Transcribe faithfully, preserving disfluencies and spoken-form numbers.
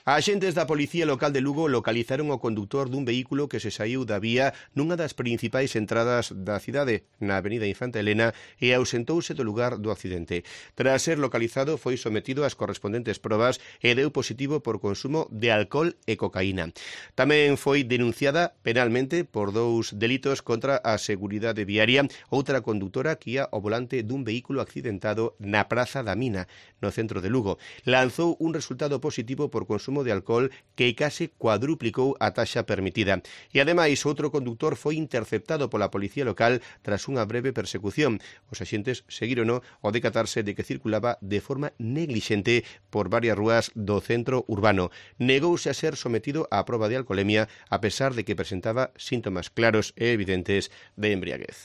Axentes da Policía Local de Lugo localizaron o conductor dun vehículo que se saiu da vía nunha das principais entradas da cidade, na avenida Infanta Elena, e ausentouse do lugar do accidente. Tras ser localizado, foi sometido ás correspondentes probas e deu positivo por consumo de alcohol e cocaína. Tamén foi denunciada penalmente por dous delitos contra a seguridade viaria outra condutora que ia ao volante dun vehículo accidentado na Praza da Mina, no centro de Lugo. Lanzou un resultado positivo por consumo de alcohol que case cuadruplicou a taxa permitida. E ademais, outro conductor foi interceptado pola policía local tras unha breve persecución. Os axentes seguirono ao decatarse de que circulaba de forma neglixente por varias rúas do centro urbano. Negouse a ser sometido á proba de alcolemia a pesar de que presentaba síntomas claros e evidentes de embriaguez.